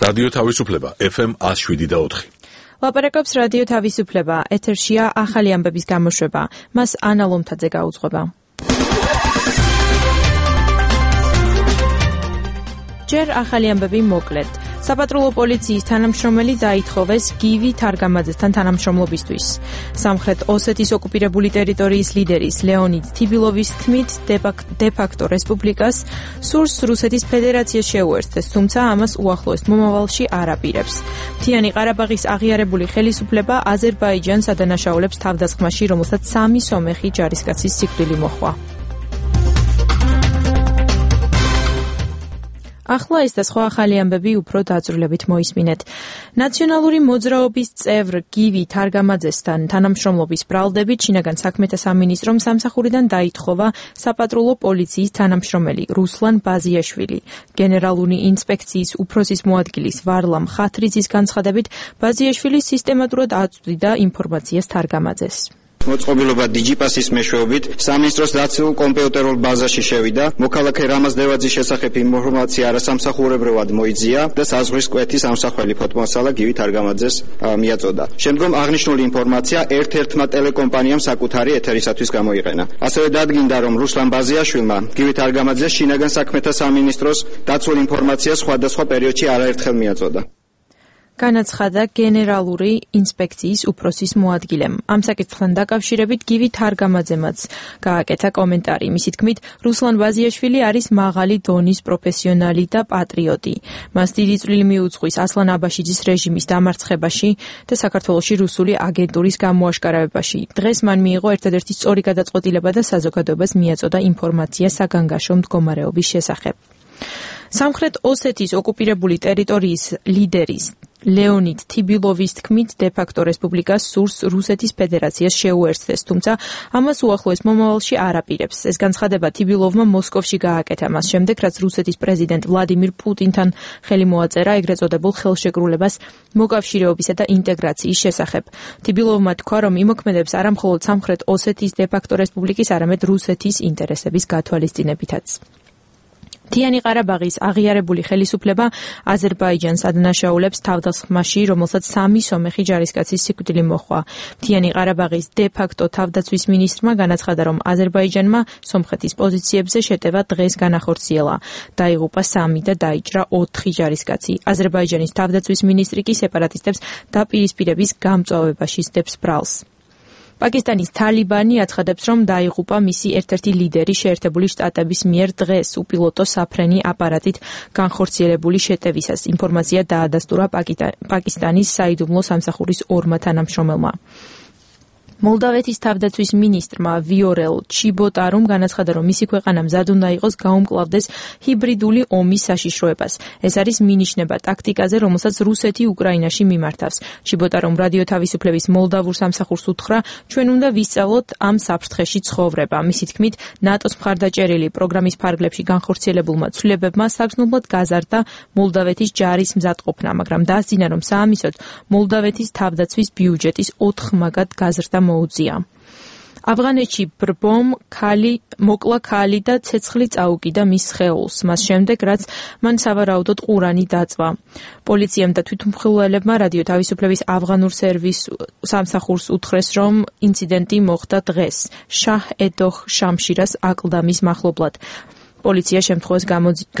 რადიო თავისუფლება FM 107.4. ლაპარაკობს რადიო თავისუფლება, ეთერშია ახალი ამბების გამოშვება. მას ანა ლომთაძე გაუძღვება. ჯერ ახალი ამბები მოკლედ. საპატრულო პოლიციის თანამშრომელი დაითხოვეს გივი თარგამაძესთან თანამშრომლობისთვის. სამხრეთ ოსეთის ოკუპირებული ტერიტორიის ლიდერის ლეონიდ თიბილოვის თქმით, დე-ფაქტო რესპუბლიკას სურს რუსეთის ფედერაციას შეუერთდეს, თუმცა ამას უახლოეს მომავალში არ აპირებს. მთიანი ყარაბაღის აღიარებული ხელისუფლება აზერბაიჯანს ადანაშაულებს თავდასხმაში, რომელსაც 3 სომეხი ჯარისკაცის სიკვდილი მოჰყვა. ახლა ეს და სხვა ახალი ამბები უფრო დაწვრილებით მოისმინეთ. ნაციონალური მოძრაობის წევრ გივი თარგამაძესთან თანამშრომლობის ბრალდებით შინაგან საქმეთა სამინისტრომ სამსახურიდან დაითხოვა საპატრულო პოლიციის თანამშრომელი რუსლან ბაზიაშვილი. გენერალური ინსპექციის უფროსის მოადგილის ვარლამ ხათრიძის განცხადებით, ბაზიაშვილი სისტემატურად აწვდიდა ინფორმაციას თარგამაძეს. მოწყობილობა დიჯიპასის მეშვეობით სამინისტროს დაცულ კომპიუტერულ ბაზაში შევიდა, მოქალაქე რამაზ დევაძის შესახებ ინფორმაცია არასამსახურებრივად მოიძია და საზღვრის კვეთის ამსახველი ფოტომასალა გივი თარგამაძეს მიაწოდა. შემდგომ აღნიშნული ინფორმაცია ერთ-ერთმა ტელეკომპანიამ საკუთარი ეთერისათვის გამოიყენა. ასევე დადგინდა, რომ რუსლან ბაზიაშვილმა გივი თარგამაძეს შინაგან საქმეთა სამინისტროს დაცულ ინფორმაციას სხვადასხვა პერიოდში არაერთხელ მიაწოდა. განაცხადა გენერალური ინსპექციის უფროსის მოადგილემ. ამ საკითხთან დაკავშირებით გივი თარგამაძემაც გააკეთა კომენტარი. მისი თქმით, რუსლან ბაზიაშვილი არის მაღალი დონის პროფესიონალი და პატრიოტი. მას დიდი წვლილი მიუძღვის ასლან აბაშიძის რეჟიმის დამარცხებაში და საქართველოში რუსული აგენტურის გამოაშკარავებაში. დღეს მან მიიღო ერთადერთი სწორი გადაწყვეტილება და საზოგადოებას მიაწოდა ინფორმაცია საგანგაშო მდგომარეობის შესახებ. სამხრეთ ოსეთის ოკუპირებული ტერიტორიის ლიდერის ლეონიდ თიბილოვის თქმით, დე-ფაქტო რესპუბლიკას სურს რუსეთის ფედერაციას შეუერთდეს, თუმცა ამას უახლოეს მომავალში არ აპირებს. ეს განცხადება თიბილოვმა მოსკოვში გააკეთა მას შემდეგ, რაც რუსეთის პრეზიდენტ ვლადიმირ პუტინთან ხელი მოაწერა ეგრეთ წოდებულ ხელშეკრულებას მოკავშირეობისა და ინტეგრაციის შესახებ. თიბილოვმა თქვა, რომ იმოქმედებს არა მხოლოდ სამხრეთ ოსეთის დე-ფაქტო რესპუბლიკის, არამედ რუსეთის ინტერესების გათვალისწინებითაც. მთიანი ყარაბაღის აღიარებული ხელისუფლება აზერბაიჯანს ადანაშაულებს თავდასხმაში, რომელსაც 3 სომეხი ჯარისკაცის სიკვდილი მოჰყვა. მთიანი ყარაბაღის დე-ფაქტო თავდაცვის მინისტრმა განაცხადა, რომ აზერბაიჯანმა სომხეთის პოზიციებზე შეტევა დღეს განახორციელა. დაიღუპა 3 და დაიჭრა 4 ჯარისკაცი. აზერბაიჯანის თავდაცვის მინისტრი კი სეპარატისტებს დაპირისპირების გამწვავებაში სდებს ბრალს. პაკისტანის თალიბანი აცხადებს, რომ დაიღუპა მისი ერთ-ერთი ლიდერი შეერთებული შტატების მიერ დღეს უპილოტო საფრენი აპარატით განხორციელებული შეტევისას. ინფორმაცია დაადასტურა პაკისტანის საიდუმლო სამსახურის 2 თანამშრომელმა. მოლდავეთის თავდაცვის მინისტრმა ვიორელ ჩიბოტარუმ განაცხადა, რომ მისი ქვეყანა მზად უნდა იყოს გაუმკლავდეს ჰიბრიდული ომის საშიშროებას. ეს არის მინიშნება ტაქტიკაზე, რომელსაც რუსეთი უკრაინაში მიმართავს. ჩიბოტარუმ რადიო თავისუფლების მოლდავურ სამსახურს უთხრა, ჩვენ უნდა ვისწავლოთ ამ საფრთხეში ცხოვრება. მისი თქმით, ნატოს მხარდაჭერილი პროგრამის ფარგლებში განხორციელებულმა ცვლილებებმა საგრძნობლად გაზარდა მოლდავეთის ჯარის მზადყოფნა, მაგრამ დაასძინა, რომ საამისოდ მოლდავეთის თავდაცვის ბიუჯეტის 4 მაგად გაზრდა მოუწია. ავღანეთში ბრბომ მოკლა ქალი და ცეცხლი წაუკიდა მის სხეულს, მას შემდეგ, რაც მან სავარაუდოდ ყურანი დაწვა. პოლიციამ და თვითმხილველებმა რადიო თავისუფლების ავღანურ სამსახურს უთხრეს, რომ ინციდენტი მოხდა დღეს შაჰ-ედოხ შამშირას აკლდამის მახლობლად. პოლიცია შემთხვევას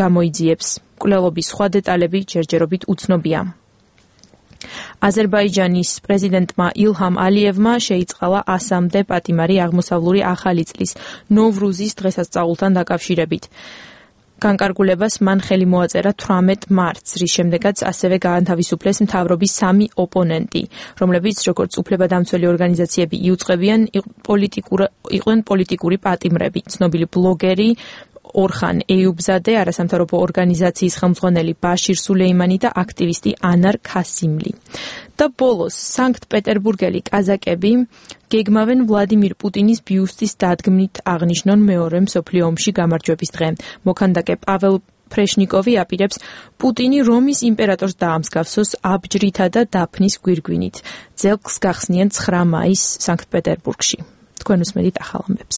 გამოიძიებს. მკვლელობის სხვა დეტალები ჯერჯერობით უცნობია. აზერბაიჯანის პრეზიდენტმა ილჰამ ალიევმა შეიწყალა ასამდე პატიმარი აღმოსავლური ახალი წლის ნოვრუზის დღესასწაულთან დაკავშირებით. განკარგულებას მან ხელი მოაწერა 18 მარტს, რის შემდეგაც ასევე გაანთავისუფლეს მთავრობის 3 ოპონენტი, რომლებიც როგორც უფლებადამცველი ორგანიზაციები იუწყებიან, იყვნენ პოლიტიკური პატიმრები, ცნობილი ბლოგერი ორხან ეიუბზადე, არასამთავრობო ორგანიზაციის ხელმძღვანელი ბაშირ სულეიმანი და აქტივისტი ანარ ქასიმლი. და ბოლოს სანქტ-პეტერბურგელი კაზაკები გეგმავენ ვლადიმირ პუტინის ბიუსტის დადგმით აღნიშნონ მეორე მსოფლიო ომში გამარჯვების დღე. მოქანდაკე პაվել ფრეშნიკოვი აპირებს პუტინი რომის იმპერატორს დაამსგავსოს აბჯრითა და დაფნის გვირგვინით. ძელს გახსნიან 9 მაისს სანქტ-პეტერბურგში. თქვენ უსმენთ ახალ ამბებს.